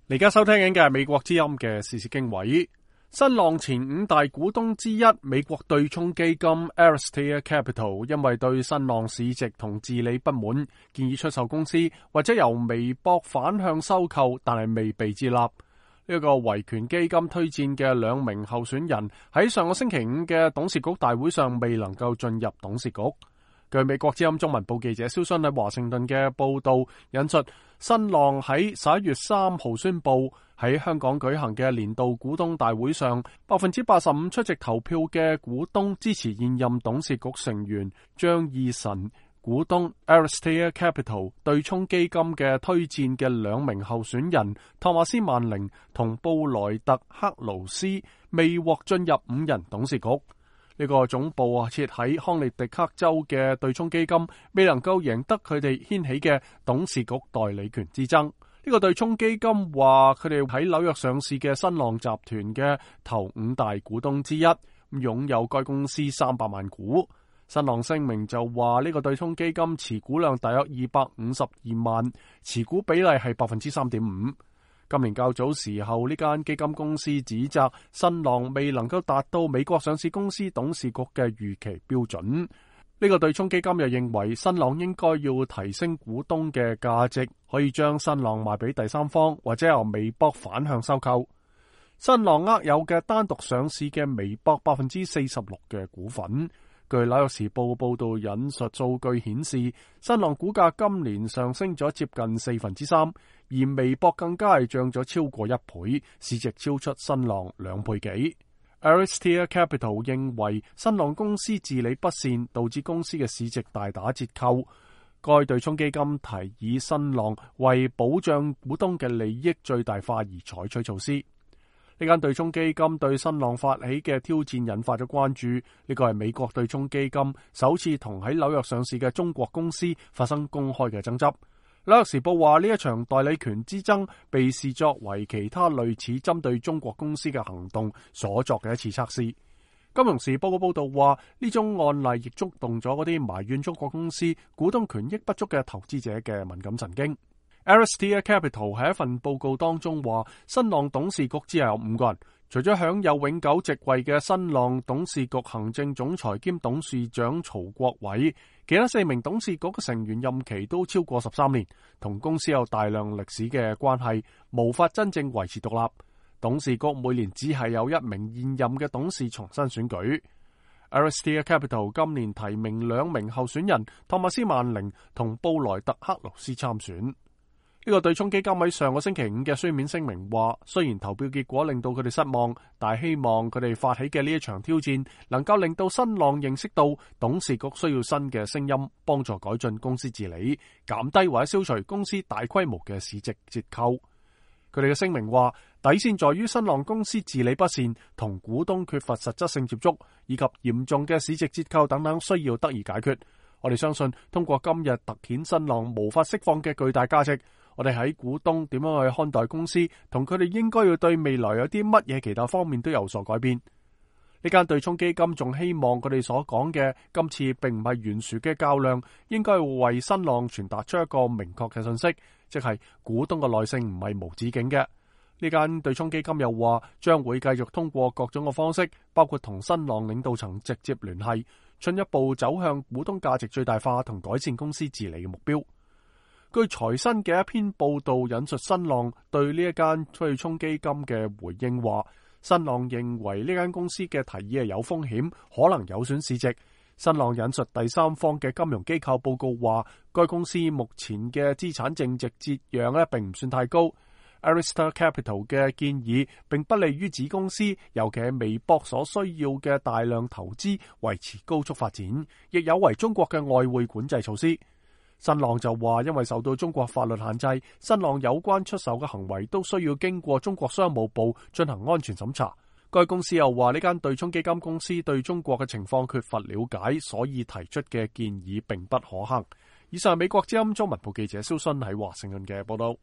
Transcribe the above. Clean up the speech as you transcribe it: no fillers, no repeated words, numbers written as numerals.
而家收聽緊嘅係美國之音嘅時事經緯。新浪前5大股東之一美國對沖基金 Aristeia Capital 因為對新浪市值同治理不滿，建議出售公司或者由微博反向收購，但係未被接納。呢個維權基金推薦嘅2名候選人喺上個星期5嘅董事局大會上未能夠進入董事局。據美國之音中文部記者蕭勳喺華盛頓嘅報道引述，新浪喺11月3號宣布喺香港舉行嘅年度股東大會上，85%出席投票嘅股東支持現任董事局成員張義臣股東 Aristeia Capital 對沖基金嘅推薦嘅2名候選人托馬斯曼寧同布萊特克勞斯未獲進入5人董事局。呢個總部設喺康涅狄克州嘅對沖基金未能夠贏得佢哋掀起嘅董事局代理權之爭。呢個對沖基金話佢哋喺紐約上市嘅新浪集團嘅頭5大股東之一，擁有該公司300萬股。新浪聲明就話呢個對沖基金持股量大約252萬，持股比例係 3.5%。今年較早時候，呢間基金公司指責新浪未能夠達到美國上市公司董事局嘅預期標準。呢個對沖基金又認為新浪應該要提升股東嘅價值，可以將新浪賣俾第三方，或者由微博反向收購。新浪握有嘅單獨上市嘅微博 46% 嘅股份。據紐約時報報道引述數據顯示，新浪股價今年上升咗接近3%，而微博更加係漲咗超過1倍，市值超出新浪2倍幾。Aristeia Capital 認為新浪公司治理不善，導致公司嘅市值大打折扣。該對沖基金提議新浪為保障股東嘅利益最大化而採取措施。呢間對沖基金對新浪發起嘅挑戰引發咗關注。呢個係美國對沖基金首次同喺紐約上市嘅中國公司發生公開嘅爭執。紐約時報話呢一場代理權之爭被視作為其他類似針對中國公司嘅行動所作嘅一次測試。金融時報嘅報道話呢種案例亦觸動咗嗰啲埋怨中國公司股東權益不足嘅投資者嘅敏感神經。Aristeia Capital 喺一份報告當中話，新浪董事局只有5個人，除咗享有永久席位嘅新浪董事局行政總裁兼董事長曹國偉，其他4名董事局嘅成員任期都超過13年，同公司有大量歷史嘅關係，無法真正維持獨立。董事局每年只係有1名現任嘅董事重新選舉。Aristeia Capital 今年提名2名候選人托馬斯曼寧同布萊特克勞斯參選。呢個對沖基金喺上個星期5嘅書面聲明話，雖然投票結果令到佢哋失望，但係希望佢哋發起嘅呢一場挑戰能夠令到新浪認識到董事局需要新嘅聲音，幫助改進公司治理，減低或者消除公司大規模嘅市值折扣。佢哋嘅聲明話，底線在於新浪公司治理不善，同股東缺乏實質性接觸，以及嚴重嘅市值折扣等等需要得以解決。我哋相信通過今日突顯新浪無法釋放嘅巨大價值，我哋喺股東點樣去看待公司，同佢哋應該要對未來有啲乜嘢其他方面都有所改變。呢間對沖基金仲希望佢哋所講嘅今次並唔係懸殊嘅較量，應該為新浪傳達出一個明確嘅信息，即係股東嘅耐性唔係無止境嘅。呢間對沖基金又話將會繼續通過各種嘅方式，包括同新浪領導層直接聯繫，進一步走向股東價值最大化同改善公司治理嘅目標。據財新嘅一篇報道引述新浪對呢一間對沖基金嘅回應話，新浪認為呢間公司嘅提議係有風險，可能有損市值。新浪引述第三方嘅金融機構報告話，該公司目前嘅資產淨值折讓並唔算太高。Aristeia Capital 嘅建議並不利於子公司，尤其係微博所需要嘅大量投資維持高速發展，亦有違中國嘅外匯管制措施。新浪就話，因為受到中國法律限制，新浪有關出售嘅行為都需要經過中國商務部進行安全審查。該公司又話，呢間對沖基金公司對中國嘅情況缺乏了解，所以提出嘅建議並不可行。以上係美國之音中文部記者蕭勳喺華盛頓嘅報道。